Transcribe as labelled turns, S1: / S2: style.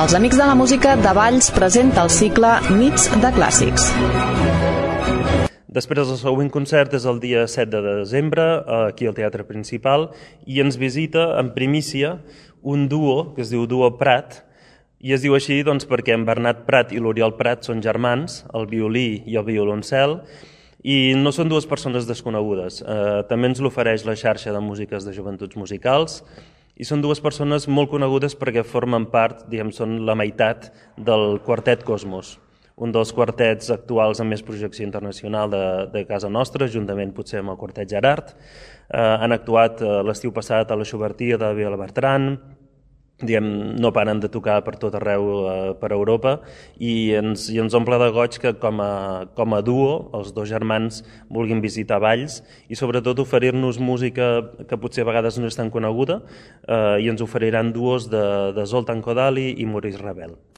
S1: Els Amics de la Música de Valls presenta el cicle Nits de Clàssics.
S2: Després el següent concert és el dia 7 de desembre, aquí al Teatre Principal, i ens visita en primícia un duo que es diu Duo Prat, i es diu així doncs, perquè en Bernat Prat i l'Oriol Prat són germans, el violí i el violoncel, i no són dues persones desconegudes. També ens l'ofereix la xarxa de músiques de joventuts musicals, i són dues persones molt conegudes perquè formen part, són la meitat del Quartet Cosmos, un dels quartets actuals amb més projecció internacional de casa nostra, juntament potser amb el Quartet Gerard. Han actuat l'estiu passat a la Xubertia de Vila Bertran, no paren de tocar per tot arreu per Europa, i ens omple de goig que com a duo els dos germans vulguin visitar Valls i sobretot oferir-nos música que potser a vegades no és tan coneguda, i ens oferiran duos de Zoltan Kodaly i Maurice Ravel.